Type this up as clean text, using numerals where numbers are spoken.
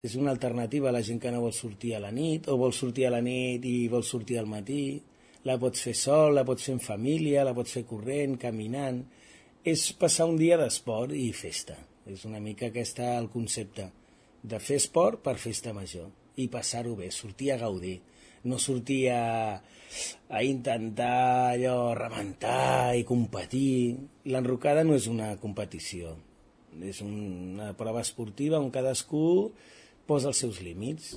És una alternativa a la gent que no vol sortir a la nit, o vol sortir a la nit i vol sortir al matí. La pots fer sol, la pots fer en família, la pots fer corrent, caminant. És passar un dia d'esport i festa. És una mica aquest el concepte de fer esport per festa major i passar-ho bé, sortir a gaudir, no sortir a intentar allò rebentar i competir. L'enrocada no és una competició, és una prova esportiva on cadascú posa els seus límits